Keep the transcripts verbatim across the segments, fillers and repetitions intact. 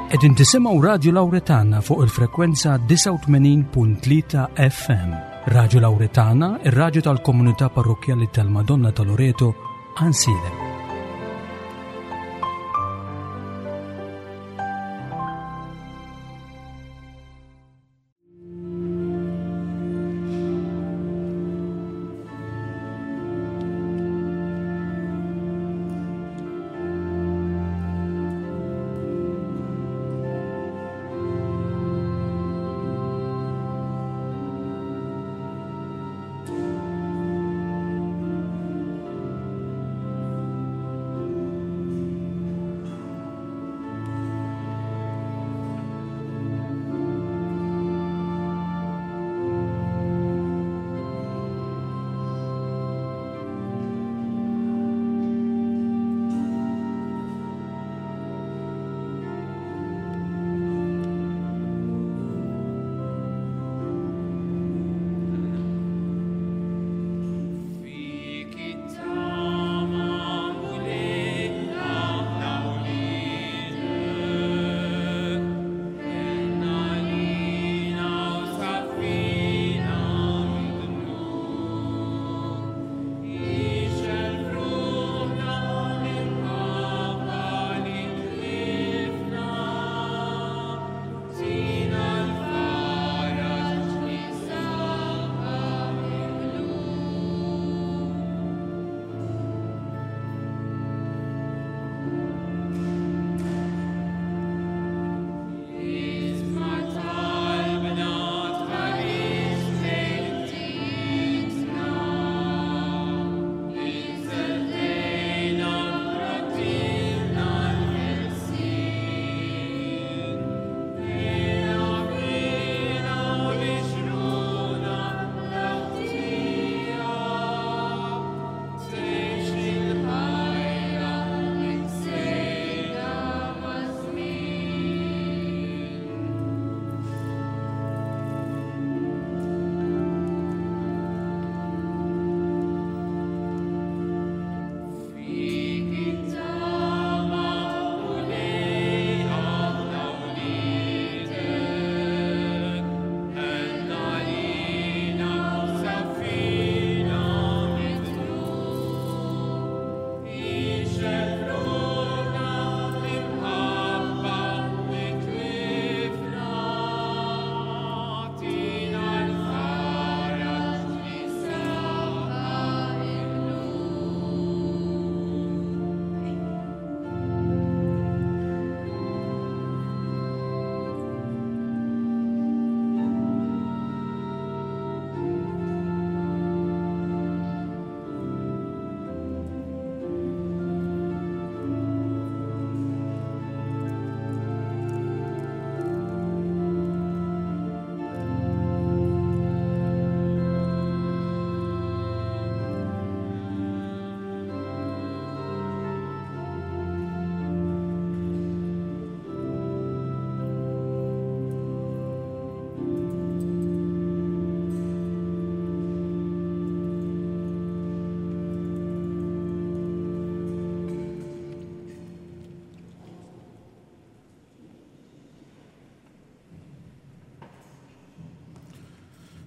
Qegħdin tisimgħu Radju Lawretana fuq il-frekwenza disgħa u tmenin punt tlieta F M. Radju Lawretana, ir-radju tal-komunità parrokkjali tal-Madonna ta' Loreto, Għajnsielem.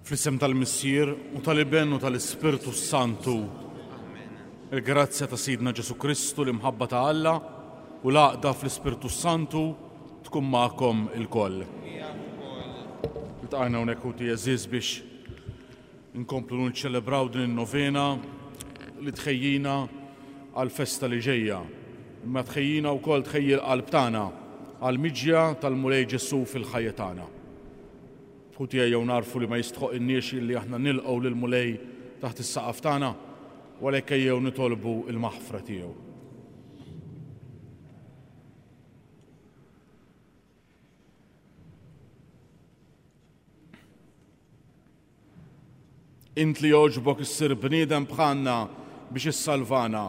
Fl-isem tal-Missier u tal-Iben u tal-Ispirtu Santu. Il-grazzja ta' Sidna Ġesu Kristu, l-imħabba ta' Alla u l-għaqda fl-Ispirtu Santu tkun magħkom ilkoll. Iltqajna hawnhekk ħuti għeżież biex inkomplu nċelebraw din in-novena li tħejjina għall-festa li ġejja. Imma tħejjina wkoll tħejji l-qalb tagħna għall-miġja tal-Mulej Ġesu fil-ħajja tagħna. Ħuti ejjew narfu li ma jistħoqilniex illi aħna nilqgħu lill-Mulej taħt is-saqaf tagħna, u għalhekk ejjew nitolbu l-maħfra tiegħu. Int li jogħġbok issir bniedem bħalna biex issalvana.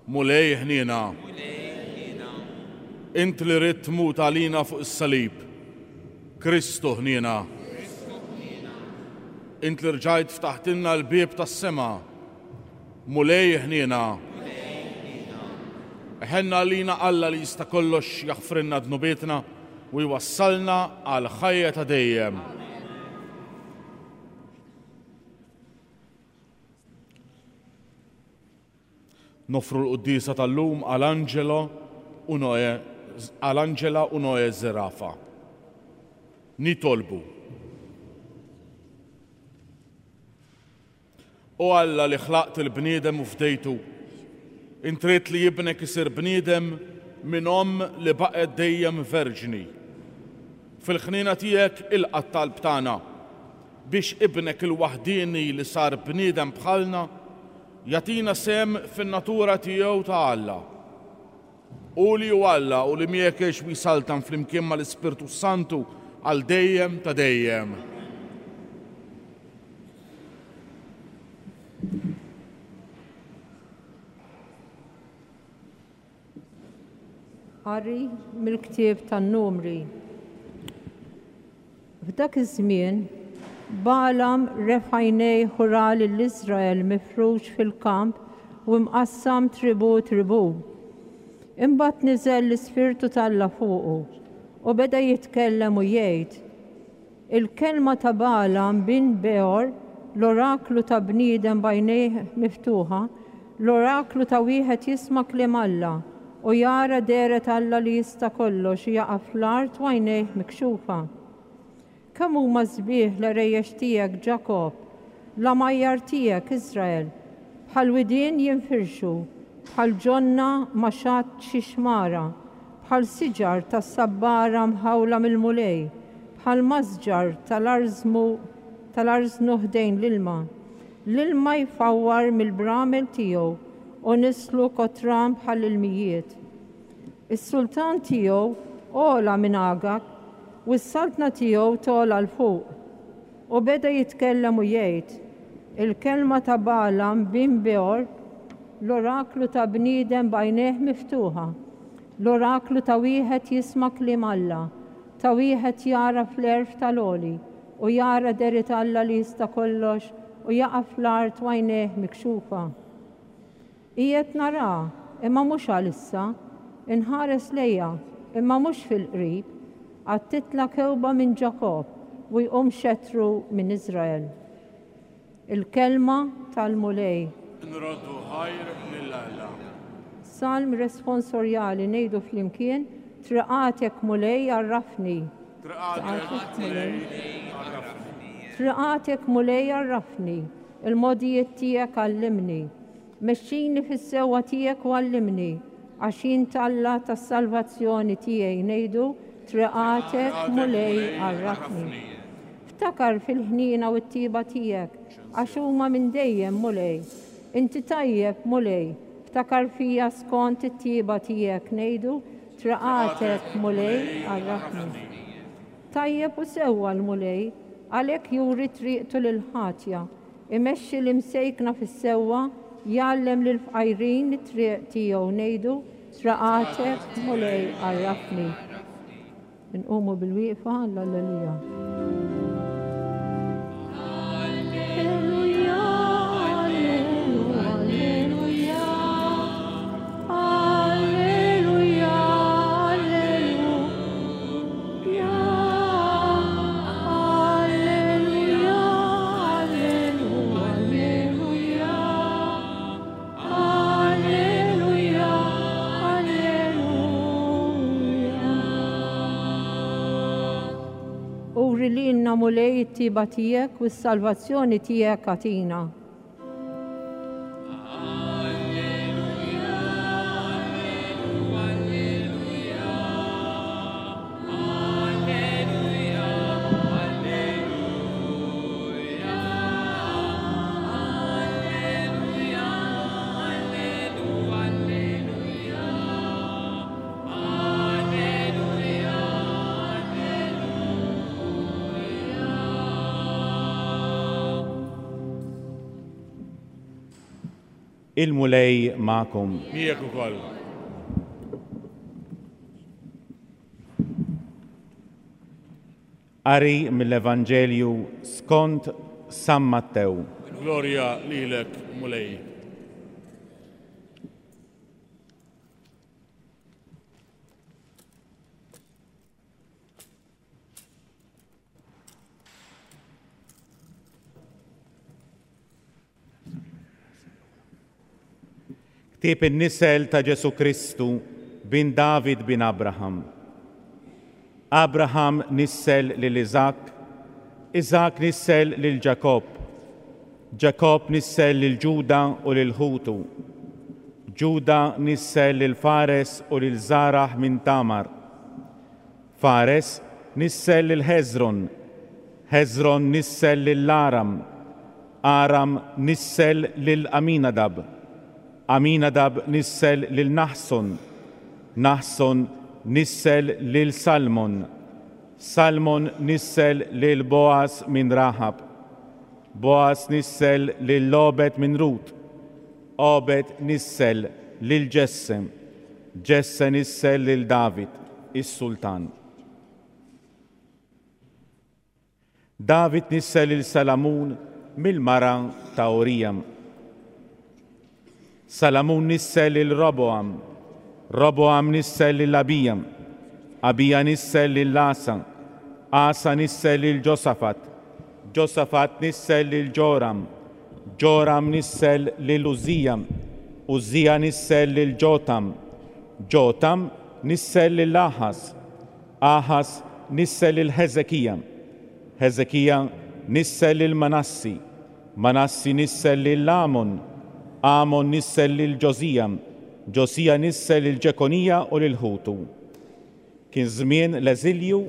Mulej ħniena. Int li ridt tmut għalina fuq is-salib. Kristu ħniena. Int li rġajt ftaħtilna l-bieb tas-sema. Mulej ħniena. Iħenn għalina Alla li jista' kollox jaħfrilna dnubietna u jwassalna għal ħajja ta' dejjem. Nofru l-quddiesa tal-lum għal Angelo u Noe, għal Angela u Noe Zerafa. Nitolbu. O Alla li ħlaqt il-bniedem u fdejtu, int ridt li ibnek isir bniedem minn omm li baqgħet dejjem verġni. Fil-ħniena tiegħek ilqa' t-talb tagħna biex ibnek il-waħdieni li sar bniedem bħalna jagħtina sehem fin-natura tiegħu ta' Alla. U li hu Alla u li miegħek jgħix u jsaltan flimkien mal-Ispirtu Santu għal dejjem ta' dejjem. Qari mill-ktieb tan-Numri. F'dak iż-żmien Balaam refa' għajnejh u ra lil Iżrael mifrux fil-kamp u mqassam tribu tribu. Imbagħad niżel l-Ispirtu t'Alla fuqu u beda jitkellem u jgħid: Il-kelma ta' Balaam bin Beor, l-oraklu ta' bniedem b'għajnejh miftuħa, l-oraklu ta' wieħed jisma' kliem Alla u jara dehret Alla li jista' kollox u jaqa' fl-art u għajnejh mikxufa. Kemm huma sbieħ l-għerejjex tiegħek Ġakobb, l-għamajjar tiegħek Iżrael, bħal widien jinfirxu, bħal ġonna ma' xatt xi xmara, bħal siġar tas-sabbara mħawla mill-Mulej, bħal masġar tal-arżmu tal-arżnu ħdejn l-ilma. L-ilma jfawwar mill-bramel tiegħu u nislu kotran bħal ilmijiet. Is-sultan tiegħu ogħla minn Agag u s-saltna tiegħu togħla 'l fuq. U beda jitkellem u jgħid: Il-kelma ta' Balaam bin Beor, l-oraklu ta' bniedem b'għajnejh miftuħa, l-oraklu ta' wieħed jisma' kliem Alla, ta' wieħed jara fl-għerf tal-għoli u jara dehret Alla li jista' kollox u jaqa' fl-art u għajnejh mikxufa. Qiegħed nara, imma mhux għalissa, inħares lejha, imma mhux fil-qrib, għad titla' kewba minn Ġakobb u jqum xetru minn Iżrael. Il-kelma tal-Mulej. Nroddu ħajr lil Alla. Salm responsorjali ngħidu flimkien: Triqatek Mulej għarrafni. Triqatek Mulej għarrafni. Triqatek Mulej għarrafni, il-mogħdijiet tiegħek għallimni. Mexxini fis-sewwa tiegħek u għallimni, għax int Alla tas-salvazzjoni tiegħi. Ngħidu: Triqatek Mulej għarrafni. Ftakar fil-ħniena u t-tiba tiegħek, għax huma minn dejjem Mulej. Inti tajjeb Mulej, ftakar fija skont it-tiba tiegħek. Ngħidu: Triqatek Mulej għarrafni. Tajjeb u sewwa l-Mulej, għalhekk juri triqtu lil ħatja, imexxi l-imsejkna fis-sewwa, jgħallem lill-fqajrin it-triq tiegħu. Ngħidu: Triqatek Mulej għarrafni. Nqumu bil-wieqfa l-Alleluja. Alleluja, alleluja, alleluja, alleluja, alleluja, alleluja, alleluja, alleluja. Uri lilna Mulej it-tiba tiegħek u s-salvazzjoni tiegħek agħtina. Il-Mulej magħkom. Miegħek ukoll. Qari mill-Evanġelju skont San Mattew. Glorja lilek, Mulej. Ktieb in-nisel ta' Ġesù Kristu bin David bin Abraham. Abraham nissel lil Iżak, Iżak nissel lil Ġakobb, Ġakobb nissel lil Ġuda u lil ħutu. Ġuda nissel lil Fares u lil Żaraħ minn Tamar. Fares nissel lil Ħeżron, Ħeżron nissel lil Aram, Aram nissel lil Aminadab, Aminadab nissel lil Naħson, Naħson nissel lil Salmon, Salmon nissel lil Boaz minn Rahab, Boaz nissel lil Obed minn Rut, Obed nissel lil Ġesse, Ġesse nissel lil David, is-sultan. David nissel lil Salamun mill-mara ta' Urija. Salamun nissel lil Roboam, Roboam nissel lil Abija, Abija nissel lil Asa, Asa nissel lil Ġosafat, Ġosafat nissel lil Ġoram, Ġoram nissel lil Użija, Użija nissel lil Ġotam, Ġotam nissel lil Aħas, Aħas nissel lil Ħeżekija, Ħeżekija nissel lil Manassi, Manassi nissel lil Amon, Amon nissel lil Ġosija, Ġosija nissel lil Ġekonija u lil ħutu. Kien żmien l-eżilju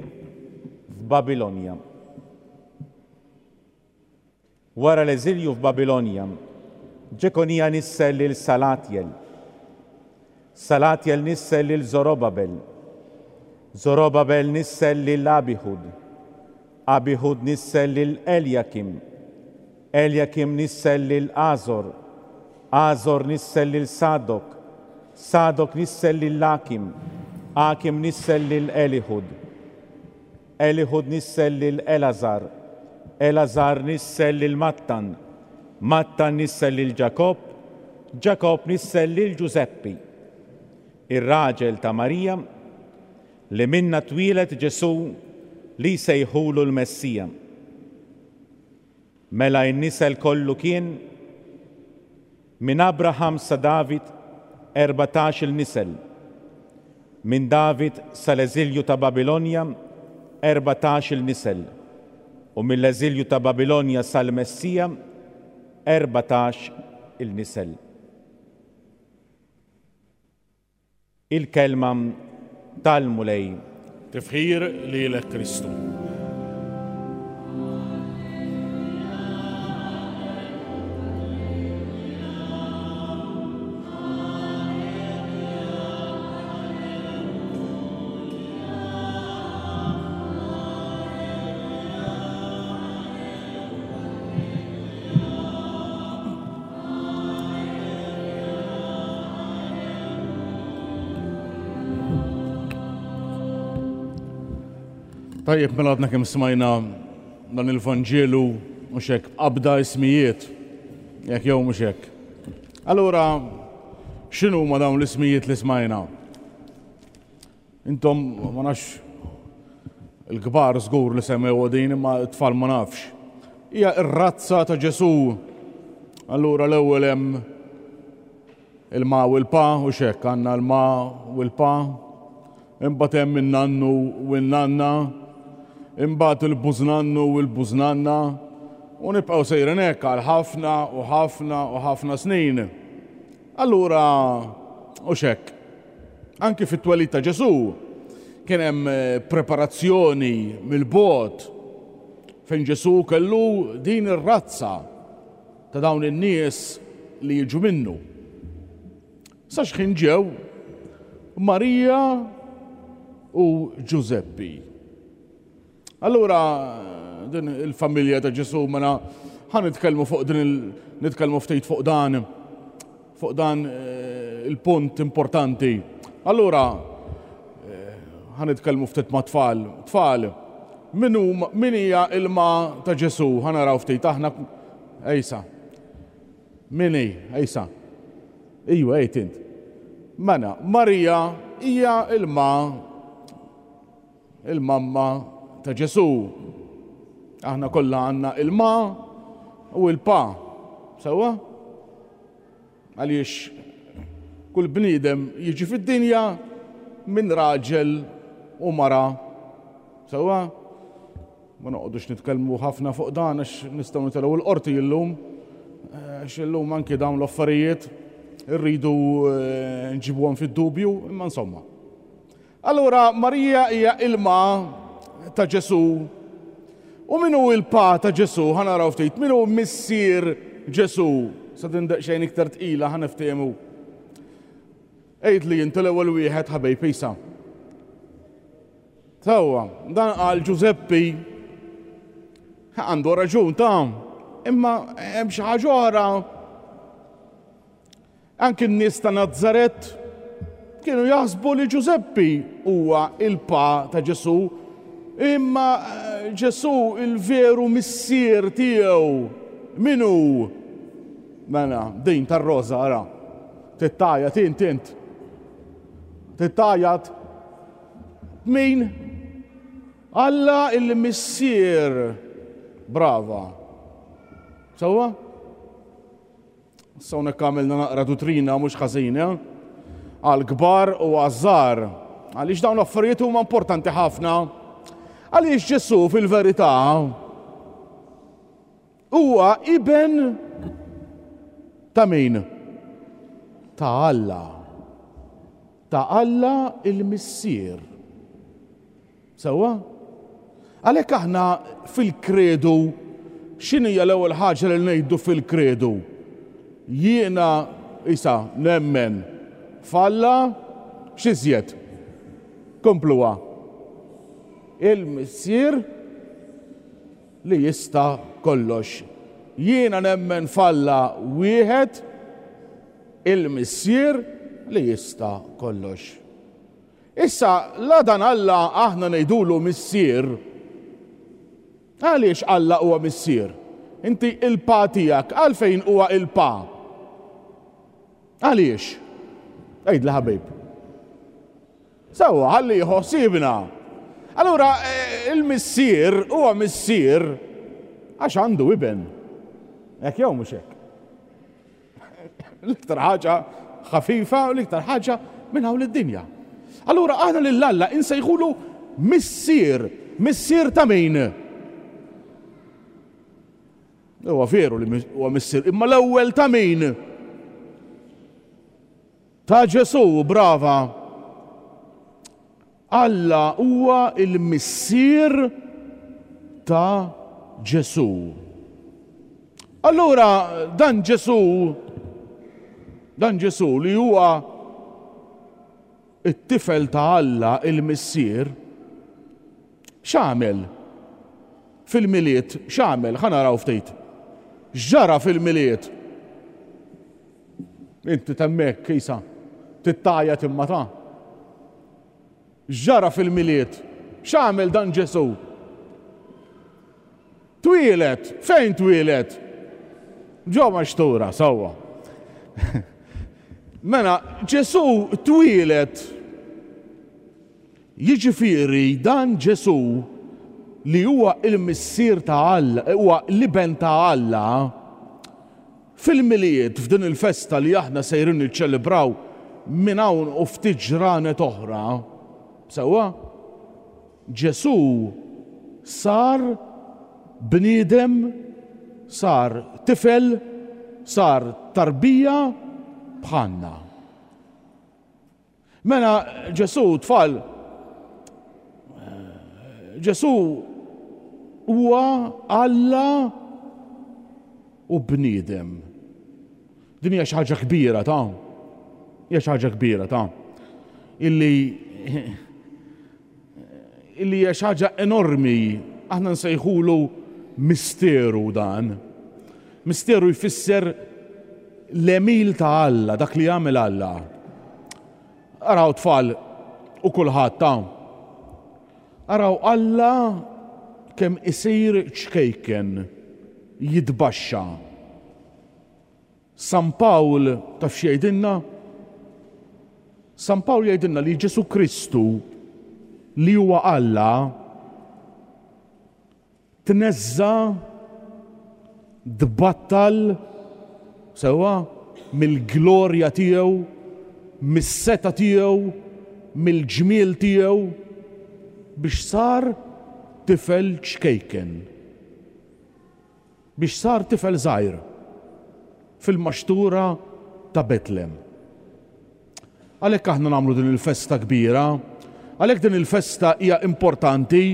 f'Babilonja. Wara l-eżilju f'Babilonja, Ġekonija nissel lil Salatjel. Salatjel nissel lil Zorobabel. Zorobabel nissel lil Abihud. Abihud nissel lil Eljakim. Eljakim nissel lil Azor. Azor nissel lil Sadok. Sadok nissel lil Akim. Akim nissel lil Elihud. Elihud nissel lil Elazar. Elazar nissel lil Mattan. Mattan nissel lil Ġakobb. Ġakobb nissel lil Ġużeppi, ir-raġel ta' Marija, li minna twieled Ġesù li jsejħulu l-Messija. Mela n-nisel kollu kien minn Abraham sa David erbatax il-nisel, minn David sal-eżilju ta' Babilonja erbatax il-nisel, u mill-eżilju ta' Babilonja sal-Messija erbatax il-nisel. Il-kelma tal-Mulej. Tifħir lilek Kristu. Tajjeb, mela għadna kemm smajna dan il-Vanġelu mhux hekk b'qabda ismijiet, jekk jew mhux hekk. Allura, x'inhu huma dawn l-ismijiet li smajna? Intom ma nafx il-kbar żgur li semmew din, imma t-tfal ma nafx. Hija r-razza ta' Ġesù. Allura l-ewwel hemm il-ma u l-pa, u x'hekk għandna l-ma u l-pa. Imbagħad hemm in-nannu u n-nanna, imbagħad il-bużnannu u l-bużnanna, u nibqgħu sejrin hekk għal ħafna u ħafna u ħafna snin. Allura, u x'hekk, anki fit-twelid ta' Ġesù kien hemm preparazzjoni mill-bogħod fejn Ġesù kellu din ir-razza ta' dawn in-nies li jiġu minnu. Sa x'ħin ġew Marija u Ġużeppi. Allura din il-familja ta' Ġesù, mela ħa nitkellmu fuq din il-, nitkellmu ftit fuq dan, fuq dan, eh, il-punt importanti. Allura, eh, ħa nitkellmu ftit ma' tfal. Tfal, min hu, min hija il-ma ta' Ġesù? Ħa naraw ftit aħna. Ejsa. Min hi? Ejsa. Ejwa, ejt int. Mela, Marija hija il-ma, il-mamma ta' Ġesù. Aħna kollha għandna il-ma u il-pa. Sewwa? Għaliex Kull bniedem jiġi fid-dinja minn raġel u mara. Sewwa? Ma noqogħdux nitkellmu ħafna fuq dan għax nistgħu nitilgħu l-qorti illum. Għax illum anki dawn l-affarijiet irridu nġibuhom fid-dubju, imma insomma. Allura Marija hija ilma ta' Ġesù. U min hu il-pa ta' Ġesù? Ħa naraw ftit. Min hu missier Ġesù? Sa din daqsxejn iktar tqila ħa niftehmu. Għid li inti l-ewwel wieħed ħabejb isa. Sewwa, dan qal Ġużeppi. Għandu raġun ta' imma hemm xi ħaġa oħra. Anki n-nies ta' Nazaret kienu jaħsbu li Ġużeppi huwa il-pa ta' Ġesù, imma Ġesù il-veru missier tiegħu min hu? Mela, din tar-roża ara. Tittajat int int. Tittajat min? Alla il-missier. Brava. Sewwa? Issa hawnhekk għamilna naqra duttrina mhux ħażin, eh? Għall-kbar u għaż-żgħar. Għaliex dawn l-affarijiet huma importanti ħafna. Għaliex Ġesù fil-verità huwa iben ta' min? Ta' Alla. Ta' Alla il-Missier. Sewwa? Għalhekk aħna fil-kredu, x'inhi l-ewwel ħaġa li ngħidu fil-kredu? Jiena isa nemmen f'Alla x'iżjed? Kompluha. Il-Missier li jista' kollox. Jiena nemmen f'Alla wieħed, il-Missier li jista' kollox. Issa, la dan Alla aħna ngħidulu Missier. Għaliex Alla huwa Missier? Inti il-pa tiegħek, għalfejn huwa il-pa? Għaliex? Għidli ħabib. Sewwa, ħalli jħossibna. Allura, il-missier huwa missier għax għandu iben. Hekk jew mhux hekk? L-iktar ħaġa ħafifa u l-iktar ħaġa minn hawn id-dinja. Allura aħna lil Alla insejħulu missier. Missier ta' min? Huwa veru li huwa missier, imma l-ewwel ta' min? Ta' Ġesù, brava. Alla huwa il-missier ta' Ġesù. Allura dan Ġesù, dan Ġesù li huwa it-tifel ta' Alla il-missier, x'għamel fil-Milied? X'għamel? Ħa naraw ftit. X'ġara fil-Milied? Inti temmek, isa, tittajat imma ta'. X'ġara fil-Milied? X'għamel dan Ġesù? Twieled. Fejn twieled? Ġo maxtura, sewwa. Mela, Ġesù twieled. Jiġifieri dan Ġesù li huwa il-missier ta' Alla, huwa l-iben ta' Alla, fil-Milied, f'din il-festa li aħna sejrin niċċelebraw minn hawn u ftit ġranet oħra, sewwa, Ġesù sar bniedem, sar tifel, sar tarbija bħalna. Mela Ġesù, tfal, Ġesù huwa Alla u bniedem. Din hija xi ħaġa kbira ta' hija xi ħaġa kbira ta' illi illi hija xi ħaġa enormi. Aħna nsejħulu misteru dan. Misteru jfisser l-għemil ta' Alla, dak li jagħmel Alla. Araw tfal u kulħadd ta' araw Alla kemm isir ċkejken, jitbaxxa. San Pawl taf x'jgħidilna? San Pawl jgħidilna li Ġesù Kristu li huwa Alla tneżża, tbattal sewwa mill-glorja tiegħu mis-setgħa tiegħu, mill-ġmiel tiegħu, biex sar tifel ċkejken. Biex sar tifel żgħir fil-maxtura ta' Betlem. Għalhekk aħna nagħmlu din il-festa kbira, għalhekk din il-festa hija importanti,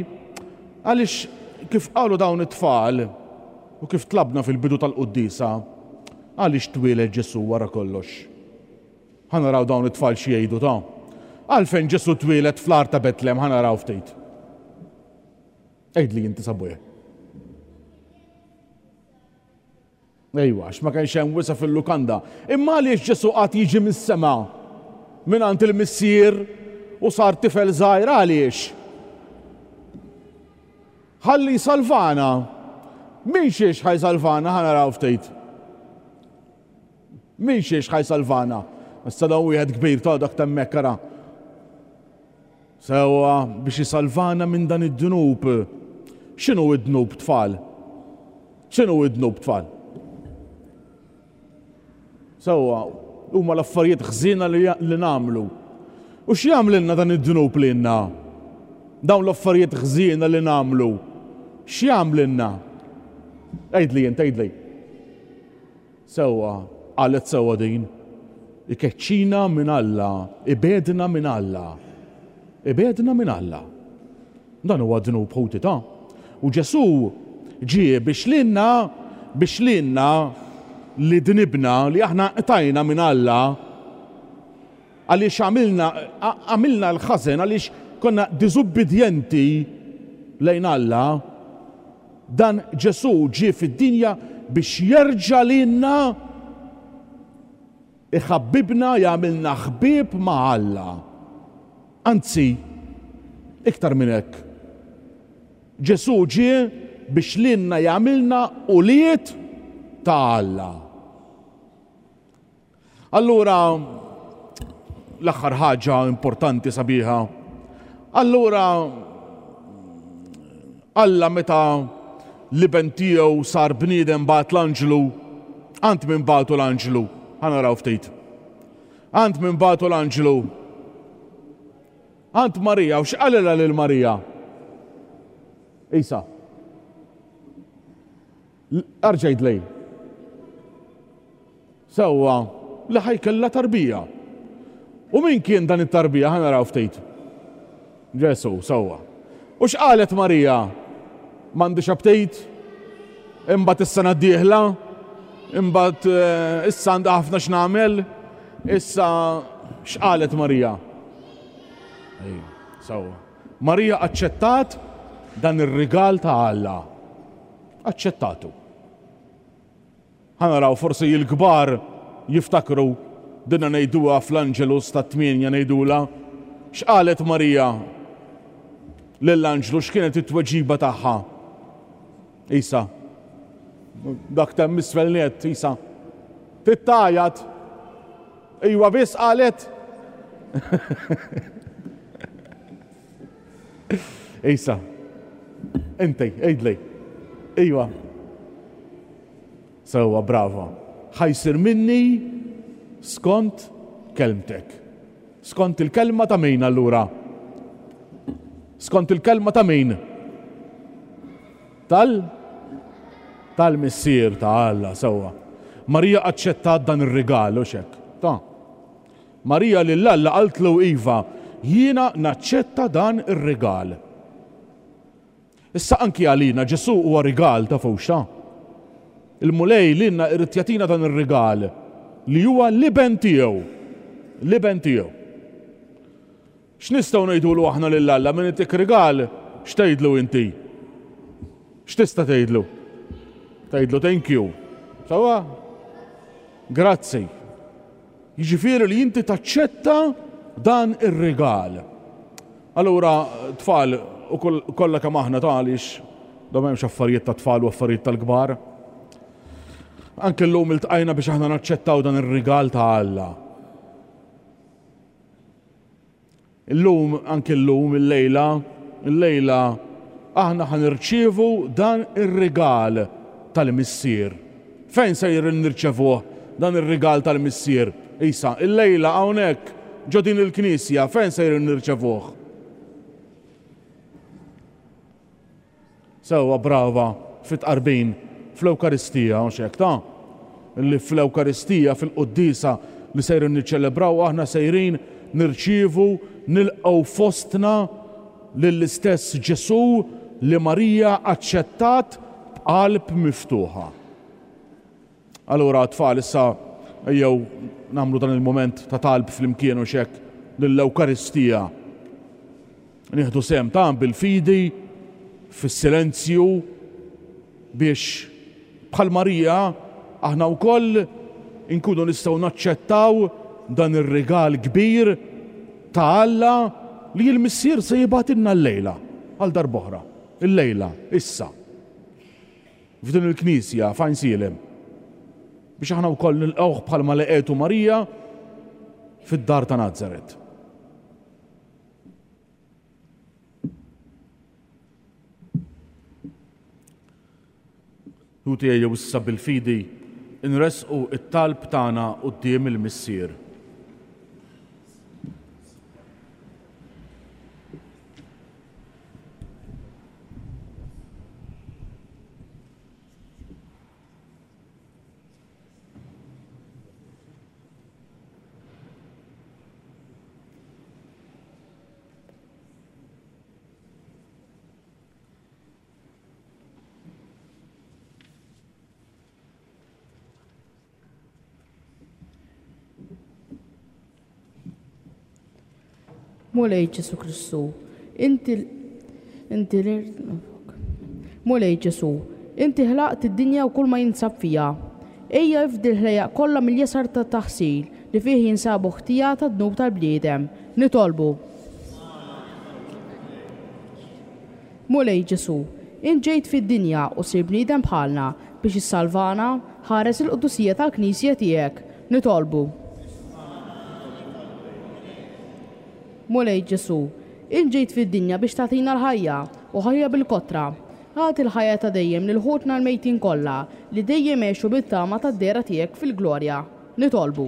għaliex kif qalu dawn it-tfal u kif tlabna fil-bidu tal-quddiesa, għaliex twieled Ġesù wara kollox. Ħa naraw dawn it-tfal xi jgħidu ta' għalfejn Ġesù twieled fl-għar ta' Betlem, ħa naraw ftit. Għidli inti sabuja. Ejwa, għax ma kienx hemm wisa fil-lukanda. Imma għaliex Ġesù qatt jiġi mis-sema mingħand il-Missier u sar tifel żgħir, għaliex? Ħalli jsalvana. Min xiex ħa jsalvana, ħa naraw ftit. Min xiex ħa jsalvana? Issa dawn wieħed kbir ta' dak temmek ara. Sewwa biex jisalvana minn dan id-dnub. X'inhu id-dnub tfal? X'inhu id-dnub tfal? Sewwa, huma l-affarijiet ħżiena li, li nagħmlu. U x'jagħmlilna dan id-dnub lilna? Dawn l-affarijiet ħżiena li nagħmlu. X'jagħmlilna? Għidli int, għidli. Sewwa, qalet sewwa din. Ikeċċina minn Alla, ibedna minn Alla. Ibedna minn Alla. Dan huwa dnub ħuti ta'. U Ġesù ġie biex lilna, biex lilna li dnibna, li aħna qtajna minn Alla, għaliex għamilna, għamilna l-ħażen, għaliex konna diżubbidjenti lejn Alla, dan Ġesù ġie fid-dinja biex jerġa' lilna iħabbibna, jagħmilna ħbieb ma' Alla. Anzi, iktar minn hekk. Ġesù ġie biex lilna jagħmilna ulied ta' Alla. Allura, l-aħħar ħaġa importanti sabiħa. Allura, Alla meta l-iben tiegħu sar bniedem bagħat l-anġlu, għand min bagħtu l-anġlu? Ħa naraw ftit. Għand min bagħtu l-anġlu? Għand Marija, u x'qalilha lil Marija? Isa. Arġajt lej. Sewwa, li ħajkella tarbija. U min kien dan it-tarbija? Ħa naraw ftit. Ġesù, sewwa. U x'qalet Marija? M'għandix aptit? Imbagħad is-sena d-dieħla? Imbagħad issa għandha ħafna x'nagħmel? Issa x'qalet Marija? Ej, sewwa. Marija aċċettat dan ir-rigal ta' Alla. Aċċettatu. Ħa naraw forsi l-kbar jiftakru dinna ngħiduha fl-Angelus tat-tmienja ngħidula. X'qalet Marija lill-anġlu, x'kienet it-tweġiba tagħha? Isa. Dak temm isfel net, Isa. Tittajat. Iwa biss qalet. Isa. Inti, għidli. Iwa. Sewwa, brava. Ħajsir minni skont kelmtek. Skont il-kelma ta' min allura? Skont il-kelma ta' min? Tal? Tal-Missier ta' Alla, sewwa. Marija aċċettat dan ir-rigal, u xek. Ta. Marija lil Alla qaltlu iva, jiena naċċetta dan ir-rigal. Issa anki għalina Ġesù huwa rigal ta' fuxta. Il-Mulej lilna irid jagħtina dan ir-rigal li huwa l-iben tiegħu. L-iben tiegħu. X'nistgħu ngħidulu aħna lil Alla min itik rigal, x'tgħidlu inti? X'tista' tgħidlu? Tgħidlu thank you. Sewwa? Grazzi. Jiġifieri li inti taċċetta dan ir-rigal. Allura tfal u kollha kemm aħna ta' għaliex da m'hemmx affarijiet ta' tfal u affarijiet tal-kbar. Anke llum iltqajna biex aħna naċċettaw dan ir-rigal ta' Alla. Illum, anke llum, illejla, illejla aħna ħanirċievu dan ir-rigal tal-Missier. Fejn se nirċevuh dan ir-rigal tal-Missier? Isa, illejla hawnhekk ġo din il-knisja, fejn sejrin nirċevuh? Sewwa brava fit-tqarbin fl-Ewkaristija, mhux hekk ta'? Li fl-Ewkaristija, fil-quddiesa li sejrin niċċelebraw, aħna sejrin nirċievu, nilqgħu fostna lill-istess Ġesù li Marija aċċettat b'qalb miftuħa. Allura tfal issa ejjew nagħmlu dan il-moment ta' talb flimkien u xek lill-Ewkaristija. Nieħdu sehem ta' bil-fidi, fis-silenzju, biex bħal Marija aħna wkoll inkunu nistgħu naċċettaw dan ir-rigal kbir ta' Alla li l-Missier se jibgħatilna llejla għal darb'oħra, illejla, issa. F'din il-knisja f'Għajnsielem, biex aħna wkoll nilqgħuh bħalma laqgħetu Marija fid-dar ta' Nazaret. Ħuti ejjew issa bil-fidi nresqu it-talb tagħna quddiem il-Missier. Mulej Ġesù Kristu, inti inti Mulej Ġesù, inti ħlaqt id-dinja u kull ma jinsab fiha. Ejja ifdi l-ħlejjaq kollha mill-jasar ta' taħsil li fih jinsabu ħtija ta' dnub tal-bniedem. Nitolbu. Mulej Ġesù, int ġejt fid-dinja u sir bniedem bħalna biex issalvana, ħares il-qdusija tal-Knisja tiegħek. Nitolbu. Mulej Ġesù, int ġejt fid-dinja biex tagħtina l-ħajja u ħajja bil-kotra. Agħti l-ħajja ta' dejjem lil ħutna l-mejtin kollha li dejjem għexu bit-tama tad-dehra tiegħek fil-glorja. Nitolbu.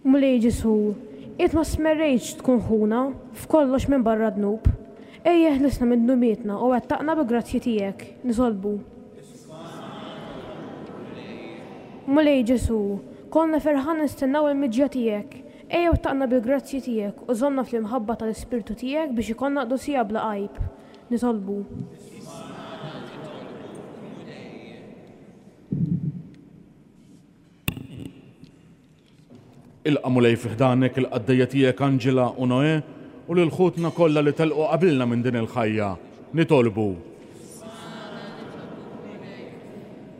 Mulej Ġesù, int ma smerrejtx tkun ħuna f'kollox minn barra dnub. Ejja ħlisna minn dnubietna u wettaqna bi grazzji tiegħek. Nitolbu. Mulej Ġesù, konna ferħan nistennaw il-miġja tiegħek. Ejja wettaqna bil-grazzji tiegħek u żommna fl-imħabba tal-Ispirtu tiegħek biex ikollna qdusija bla għajb. Nitolbu. Ilqa' Mulej fi ħdanek il-qaddejja tiegħek Angela u Noè u lil ħutna kollha li telqu qabilna minn din il-ħajja. Nitolbu.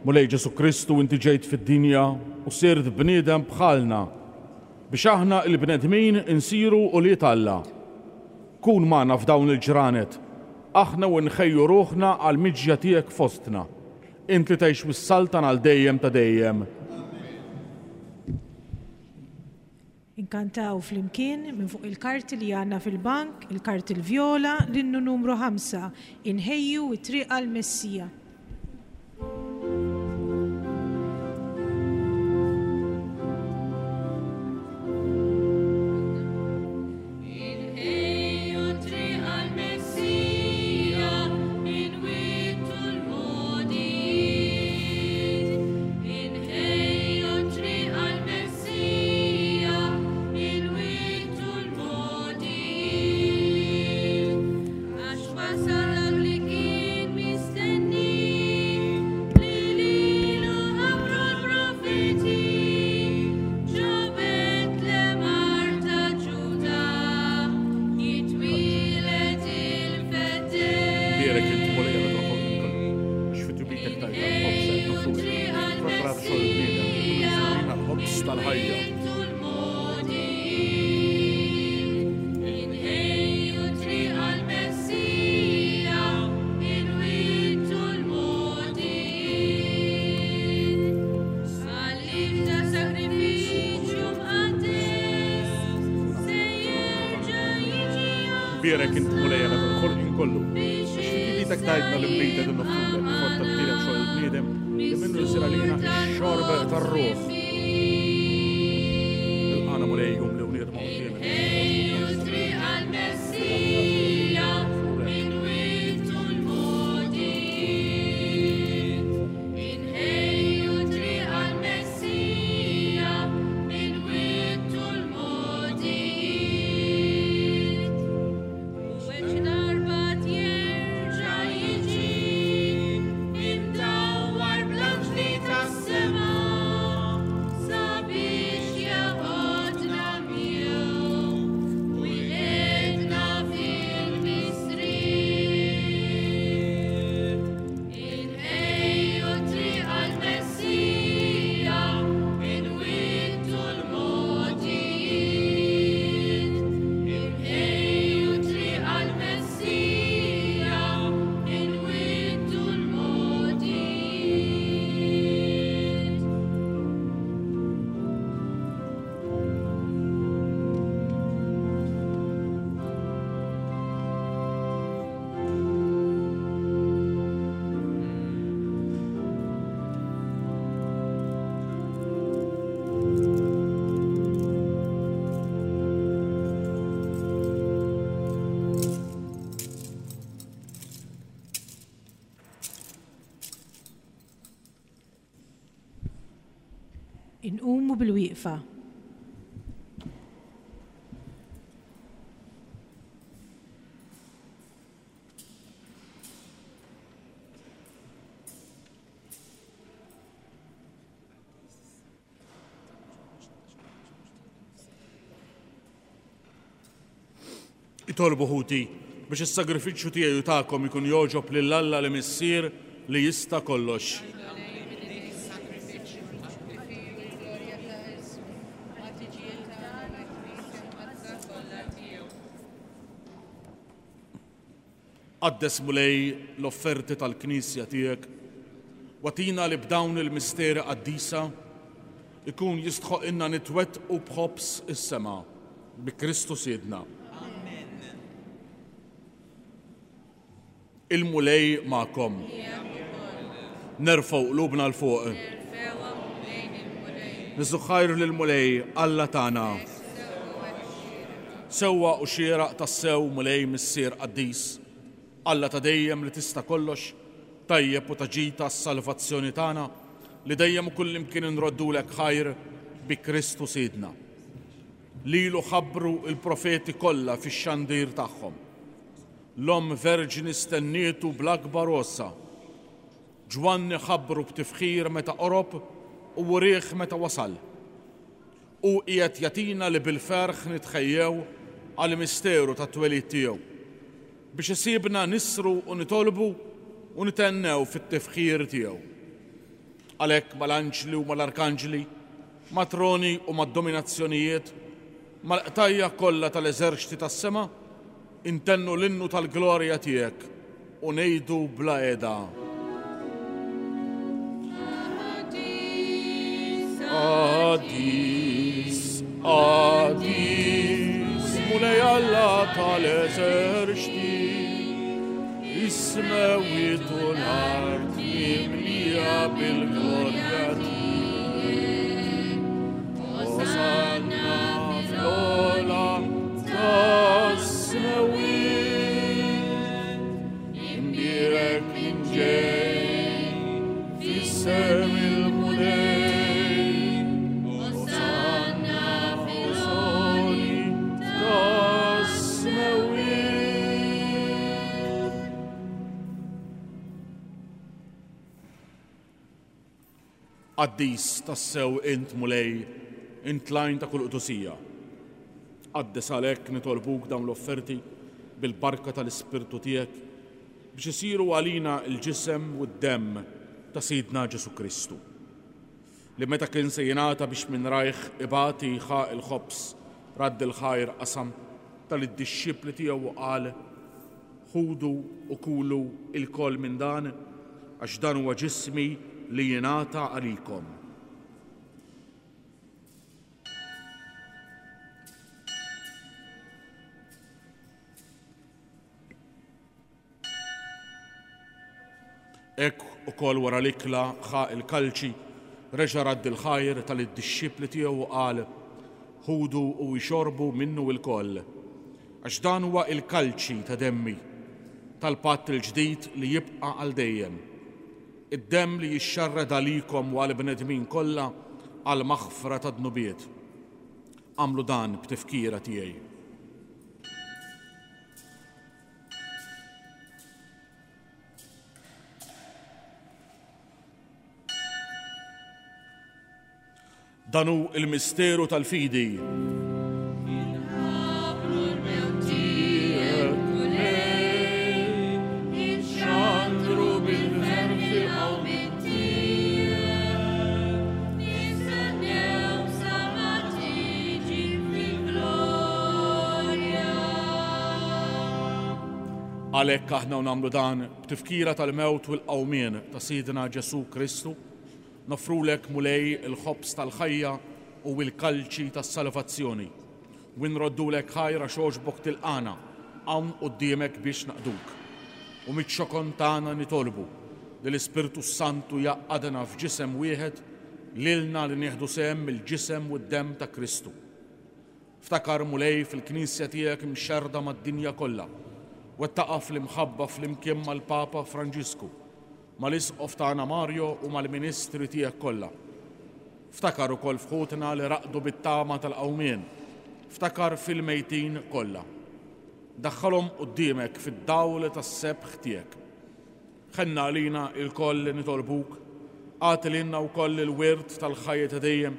Mulej Ġesù Kristu, inti ġejt fid-dinja u sirt bniedem bħalna biex aħna il-bnedmin insiru ulied Alla. Kun magħna f'dawn il-ġranet, aħna u nħejju ruħna għall-miġja tiegħek fostna. Int li tgħix mis-saltan għal dejjem ta' dejjem. Inkantaw flimkien minn fuq il-karti li għandna fil-bank, il-karti l-vjola, l-innu numru ħamsa, inħejju it-triq għall-Messija. Bierek int Mulej Alla tal-ħolqien kollu, għax fi tjubitek tajtna l-inbid qed noffrulek, frott Tabdil hemm xogħol il-bniedem li minnu jsir għalina x-xorb tar-ruħ. Il-qana Mulej jum li wniedma quddiemek. Inqumu bil-wieqfa. Itolbu ħuti biex is-sagrifiċċju tiegħi u tagħkom ikun jogħġob lil Alla li Missier li jista' kollox. Qaddes Mulej l-offerti tal-Knisja tiegħek, watina li b'dawn il-misteri qaddisa ikun jistħoqilna nitwettqu b'ħobż is-sema bi Kristu Sidna. Amen. Il-Mulej magħkom. Nerfgħu qlubna 'l fuq. Niżżu ħajr lill-Mulej Alla tagħna. Sewwa u xieraq tassew Mulej Missier qaddis, Alla ta' dejjem li tista' kollox, tajjeb u ta' ġid għas-salvazzjoni tagħna, li dejjem u kullimkien inroddulek ħajr bi Kristu Sidna. Lilu ħabbru il-profeti kollha fix-xandir tagħhom. L-Omm Verġni stennietu bl-akbar għossa. Ġwanni ħabbru b'tifħir meta qorob u wrieħ meta wasal. U qiegħed jagħtina li bil-ferħ nitħejjew għall-misteru tat-twelid tiegħu, biex isibna nisru u nitolbu u nitennew fit-tifħir tiegħu. Għalhekk mal-anġli u mal-arkanġli, matroni u mad-dominazzjonijiet, mal-qtajja kollha tal-eżerċti tas-sema, intennu l-innu tal-glorja tiegħek u ngħidu bla qiegħda. Qaddis, qaddis, Mulej Alla tal-eżerċti, is-smewwiet u l-art mimlija bil-glorja tiegħek. Osanna fl-ogħla tas-smewwiet, imbierek min ġej f'isem il-Mulej. Osanna fl-ogħli tas-smewwiet. Qaddis tassew int Mulej, int l-għajn ta' kull qdusija. Qaddes għalhekk nitolbuk dawn l-offerti bil-barka tal-Ispirtu tiegħek biex isiru għalina l-ġisem u d-demm ta' Sidna Ġesu Kristu, li meta kien se jingħata biex minn rajh ibati ħa il-ħobż, radd il-ħajr qasam tal-dixxipli tiegħu u qal: Ħudu u kulu ilkoll minn dan, għax dan huwa ġismi li jingħata għalikom. Hekk ukoll wara l-ikla ħa il-kalċi, reġa' radd il-ħajr tal-dixxipli tiegħu u qal: Ħudu u ixorbu minnu lkoll, għax dan huwa il-kalċi ta' demmi, tal-patt il-ġdid li jibqa' għal dejjem. Id-demm li jixxarrad għalikom u għall-bnedmin kollha għal maħfra ta' dnubiet. Għamlu dan b'tifkira tiegħi. Dan hu il-misteru tal-fidi. Inħabbru l-mewt tiegħek, Mulej, inxandru bil-ferħ il-qawmien tiegħek, nistennew sa ma tiġi fil-glorja. Għalhekk aħna nagħmlu dan b'tifkira tal-mewt u l-qawmien ta' Sidna Ġesù Kristu, nofrulek Mulej il-ħobż tal-ħajja u l-kalċi tas-salvazzjoni. U nroddulek ħajra xogħġbok tilqana hawn quddiemek biex naqduk. U miċ-ċokon tagħna nitolbu li l-Ispirtu Santu jaqadna f'ġisem wieħed lilna li nieħdu sehem mill-ġisem u d-demm ta' Kristu. Ftakar Mulej fil-Knisja tiegħek imxerrda mad-dinja kollha, wettaqa fl-imħabba flimkien mal-Papa Franġisku, mal-Isqof tagħna Mario u mal-Ministri tiegħek kollha. Ftakar ukoll f'ħutna li raqdu bit-tama tal-qawmien, ftakar fil-mejtin kollha. Daħħalhom quddiemek fid-dawl tas-sebħ tiegħek. Ħenna għalina lkoll li nitolbuk, agħti lilna wkoll il-wirt tal-ħajja ta' dejjem,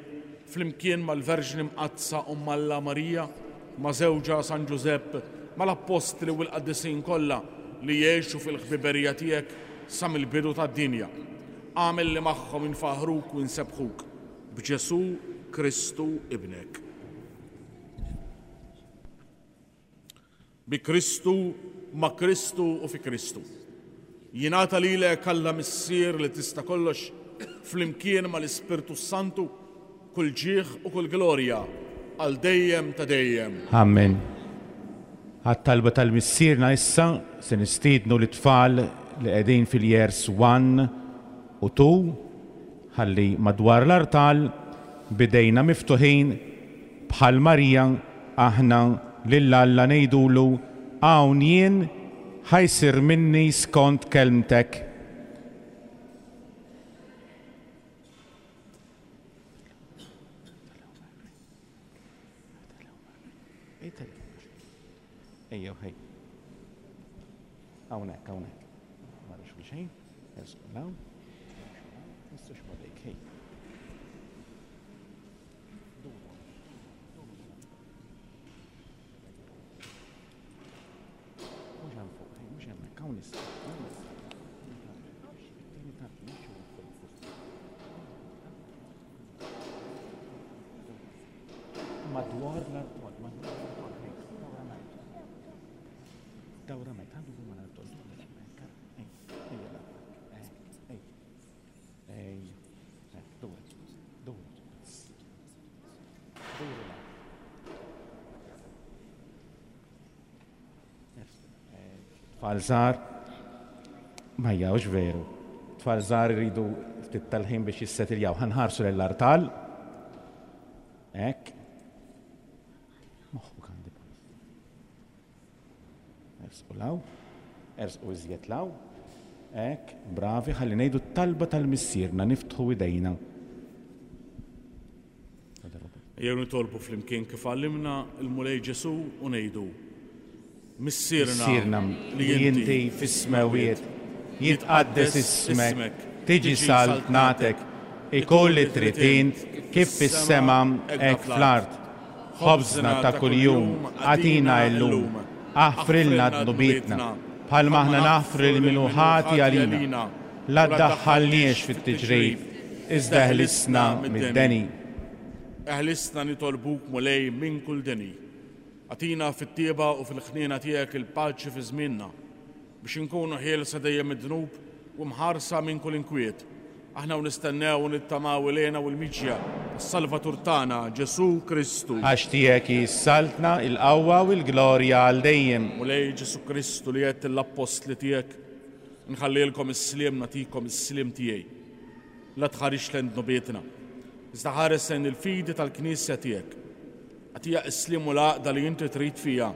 flimkien mal-Verġni Mqaddsa Omm Alla Marija, ma' żewġha San Ġużepp, mal-Appostli u l-Qaddisin kollha li jgħixu fil-ħbiberija tiegħek sa mill-bidu tad-dinja. Agħmel li magħhom infaħruk u nsebħuk b'Ġesù Kristu ibnek. Bi Kristu, ma' Kristu u fi Kristu. Jingħata lilek Alla Missier li tista' kollox flimkien mal-Ispirtu Santu kull ġieħ u kull glorja għal dejjem ta' dejjem. Amen. Għat-talba tal-Missierna issa se nistiednu l-tfal li qegħdin fil-years one u two ħalli madwar l-artal bidejna miftuħin bħal Marija aħna lil Alla ngħidulu hawn jien ħajsir minni skont kelmtek. Ejjew ħej. Hawnhekk, hawnhekk. Ma rix xejn, ersqu hawn. Mistax modejk, ħej. Mhux hemm fuq, ħej, mhux hemmhekk, hawn issa. Madwar l-artol, madwar l-artol, ħej. Dawra mek, għandu ma l-artol, ej, ej, ej, ej, ej, dawra, dawra, dawra. Tfal żgħar, ma jgħux veru. Tfal żgħar iridu ftit tal-ħin biex jissetiljaw. Ħanħarsu lill-artal. Hekk. Moħħu għandi. Ersqu law, ersqu iżjed law. Hekk, bravi, ħalli ngħidu t-talba tal-Missierna, niftħu idejna. Ejjew nitolbu flimkien kif għallimna l-Mulej Ġesù u ngħidu: Missierna Missierna li inti fis-smewiet, jitqaddes ismek, tiġi saltnatek, ikun li trid int kif fis-sema hekk fl-art. Ħobżna ta' kuljum agħtina llum, aħfrilna dnubietna, bħalma aħna naħfru lil min hu ħati għalina. La ddaħħalniex fit-tiġrib, iżda ħlisna mid-deni. Eħlisna nitolbuk Mulej minn kull deni. Agħtina fit-tieba u fil-ħniena tiegħek il-paċi fi żmienna, biex inkunu ħielsa dejjem mid-dnub u mħarsa minn kull inkwiet. Aħna u nistennew u nittamaw ilejna u l-miġja tas-Salvatur tagħna Ġesù Kristu. Għax tiegħek hi s-saltna, il-qawwa u l-glorja għal dejjem. Mulej Ġesù Kristu li għedt l-appostli tiegħek, Nħallilkom is-sliem, nagħtikom is-sliem tiegħi. La tħarix lejn dnubietna, iżda ħares lejn il-fidi tal-Knisja tiegħek. Agħtiha s-sliem u l-għaqda li inti trid fiha,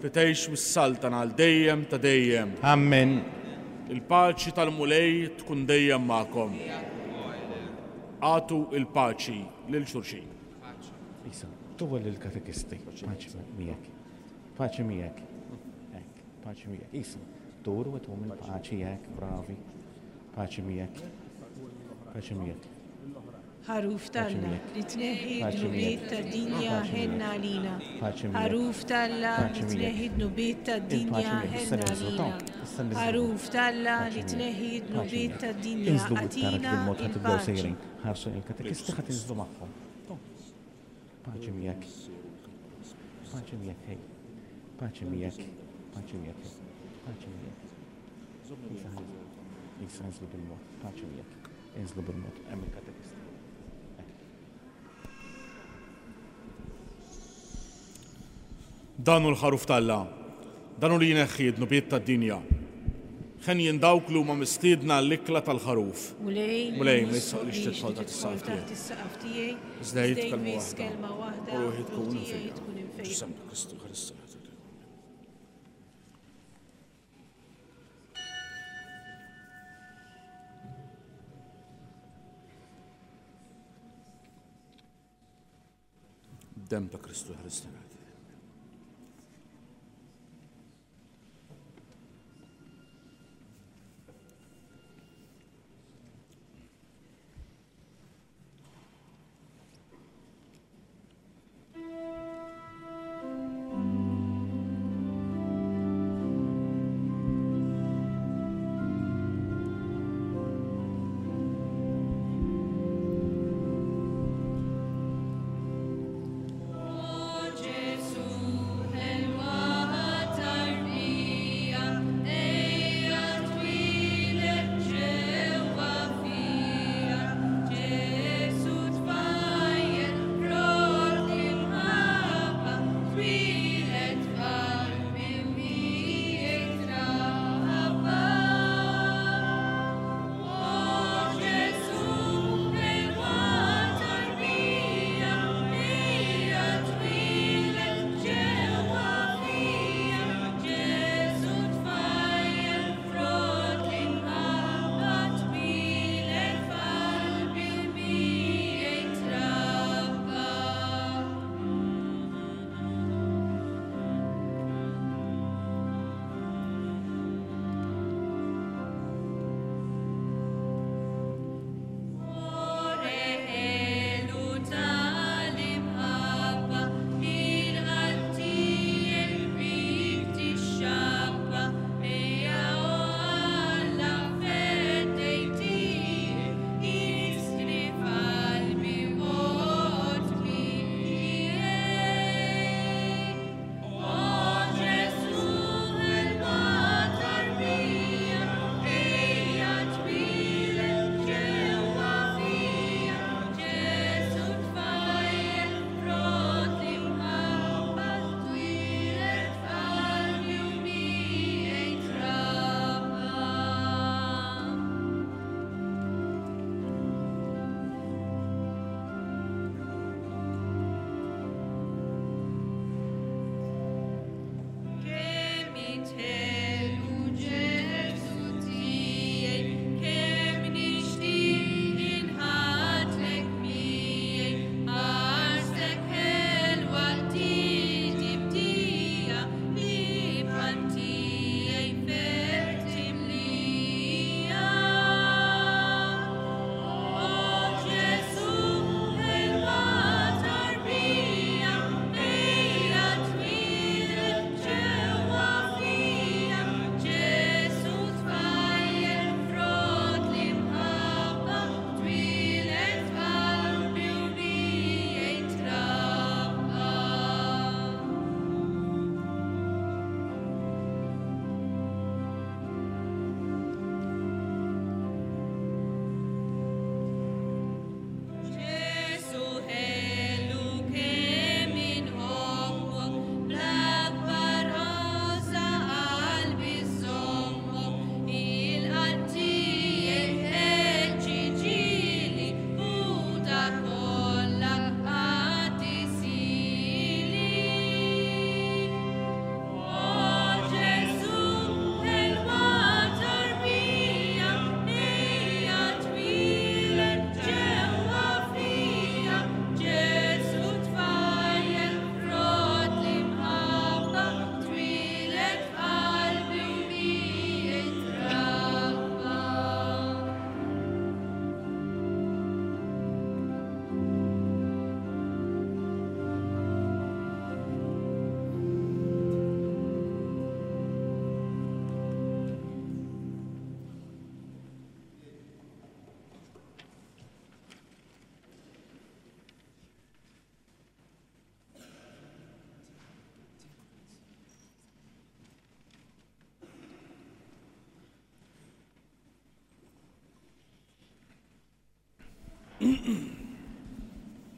li tgħix mis-saltan għal dejjem ta' dejjem. Amen. Il-paċi tal-Mulej tkun dejjem magħkom. Agħtu il-paċi lil xulxin. Isa, tuwa lill-katekisti. Paċi miegħek. Paċi miegħek. Hekk, paċi miegħek. Isa, duru u tuhom il-paċi hekk, bravi. Paċi miegħek. Paċi miegħek. Ħaruf t'Alla li tneħħi dnubiet tad-dinja ħenna għalina. Ħaruf t'Alla li tneħħi dnubiet tad-dinja ħenna għalina. Ħaruf t'Alla li tneħħi dnubiet tad-dinja agħtina il-paċi. Ħarsu il-katekisti ħa tinżlu magħhom. Paċi miegħek. Paċi miegħek, hej. Paċi miegħek. Paċi miegħek, hej. Paċi miegħek. Isa inżlu bil-mod. Paċi miegħek. Inżlu bil-mod. Hemm il-katekisti. Dan hu l-ħaruf t'Alla, dan hu li jneħħi d-dnubiet tad-dinja. Ħenjin dawk li huma mistiedna għall-ikla tal-ħaruf. Mulej, Mulej, ma jistħoqlix tidħol taħt is-saqaf taħt is-saqaf tiegħi, Iżda jgħid iżda kelma jmiss waħda, kelma waħda, u ruħi tkun u ruħi imfejqa. tkun imfejqa. Ġesù Kristu, Kristu. Dem ta' Kristu ħarisna. O Gesù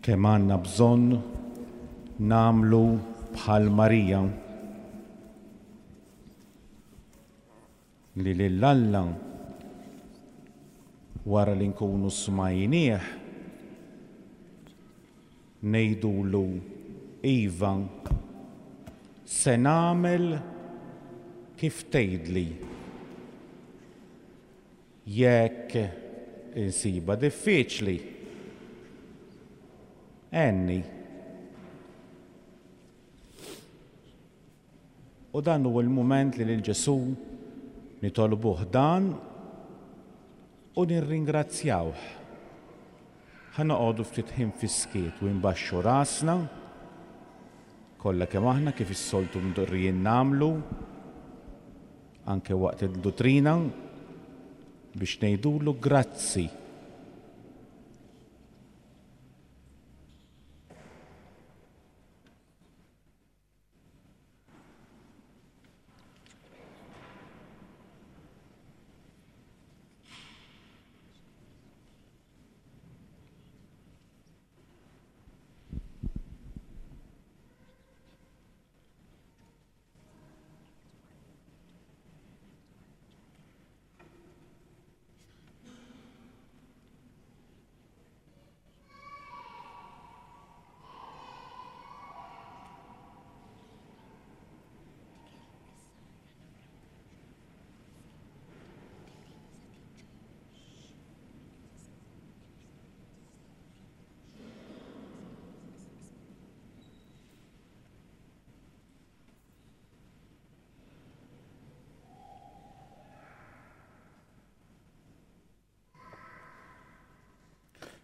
Kemm għandna bżonn nagħmlu bħal Marija li lil Alla wara li nkunu smajnieh ngħidulu iva, se nagħmel kif tgħidli. Jekk insiba diffiċli, għenni. U dan huwa l-mument li lil Ġesù nitolbuh dan u nirringrazzjawh. Ħa noqogħdu ftit ħin fis-skiet u nbaxxu rasna kollha kemm aħna kif is-soltu mdorrijin nagħmlu anke waqt id-duttrina biex ngħidulu grazzi.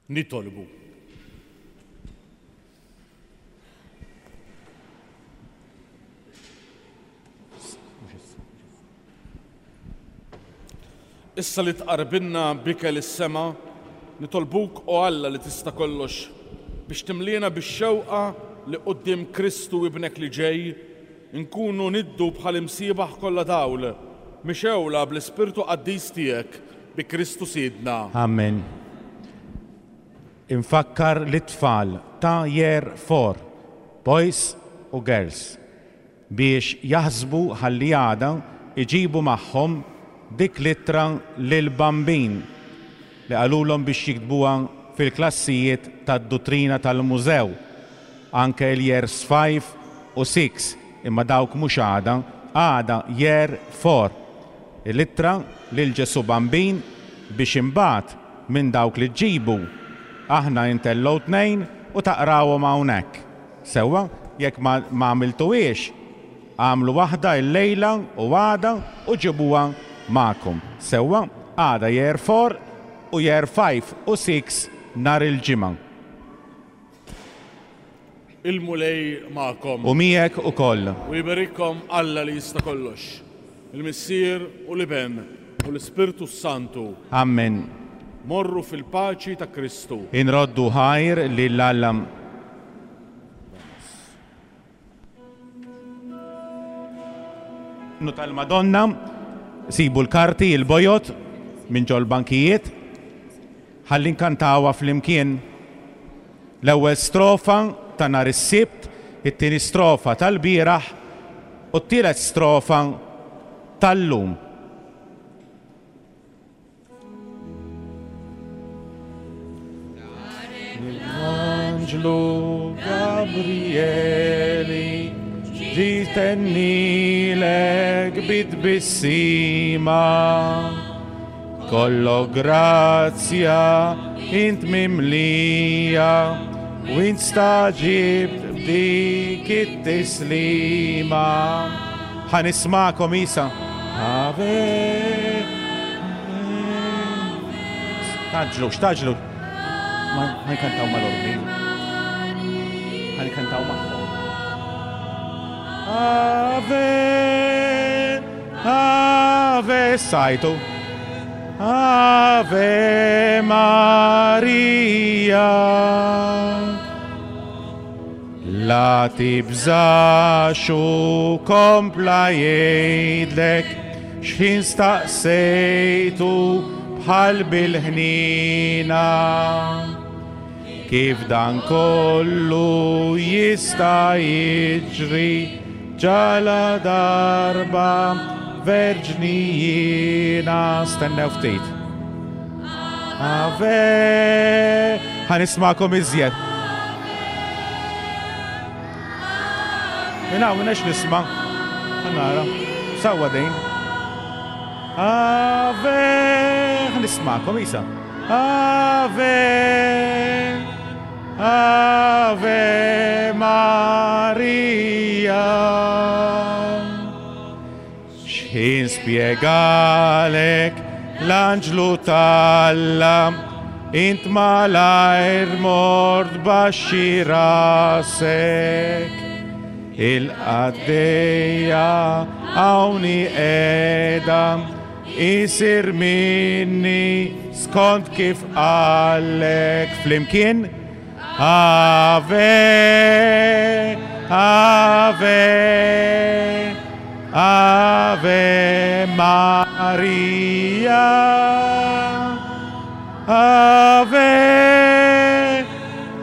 Nitolbu. Issa li tqarbinna bikel is-sema, nitolbuk o Alla li tista' kollox biex timliena bix-xewqa li quddiem Kristu ibnek li ġej nkunu niddu bħal imsiebaħ kollha dawl, mixewla bl-Ispirtu Qaddis tiegħek bi Kristu Sidna. Amen. Infakkar l-tfal ta' year four, boys u girls, biex jaħsbu ħalli għada iġibu magħhom dik l-ittra lil-bambin li qalulhom biex jiktbuha fil-klassijiet tad-duttrina tal-mużew, anke l-years five u six, imma dawk mhux għada, għada year four. L-ittra lil Ġesu Bambin biex imbagħad minn dawk li ġibu aħna intellgħu tnejn u taqrawhom hawnhekk. Sewwa, jekk ma għamiltuhiex, għamlu waħda l-lejla u għada u ġibuha magħkom. Sewwa, għada year four u year five u six nhar il-ġimgħa. Il-Mulej magħkom. U miegħek ukoll. U jberikkom Alla li jista' kollox, il-Missier u l-Iben u l-Ispirtu Santu. Amen. Morru fil-paċi ta' Kristu. Inroddu ħajr lil Alla. Nu tal-Madonna, sibu l-karti, il-bojot minn ġol bankijiet, ħalli nkantawha flimkien. L-ewwel strofa ta' nhar is-Sibt, it-tieni strofa tal-bieraħ u t-tielet strofa tal-lum. L-Anġlu Gabrieli ġitennilek bit-tbissima, kollo grazzja int mimlija u int staġibt b'dik it-tislima. Ħa nismakom isa. Ave. Taġlu, x'taġlu? Ma nkantaw mal-ordni. Ħa nkantaw magħhom. Ave, Ave, sajtu. Ave Maria. La tibżax u kompla jgħidlek x'ħin staqsejtu bħal bil-ħnina. Kif dan kollu jista' jiġri ġala darba verġni jiena. Stennew ftit. Ave, ħa nismagħkom iżjed. Minna, minna nisma'. Ħa nara. Sewwa din. Ave, ħa nismagħkom isa. Ave, Ave Maria. X'ħin spjegalek l-anġlu t'Alla, int malajr mort baxxi rasek. Il-qaddejja hawnhi qiegħda, isir minni skont kif qallek. Flimkien. Ave, Ave, Ave Maria. Ave,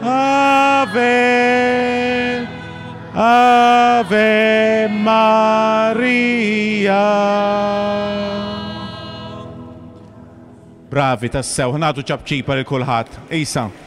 Ave, Ave Maria. Bravi tassew, ħa nagħtu ċapċipa lil kulħadd. Isa.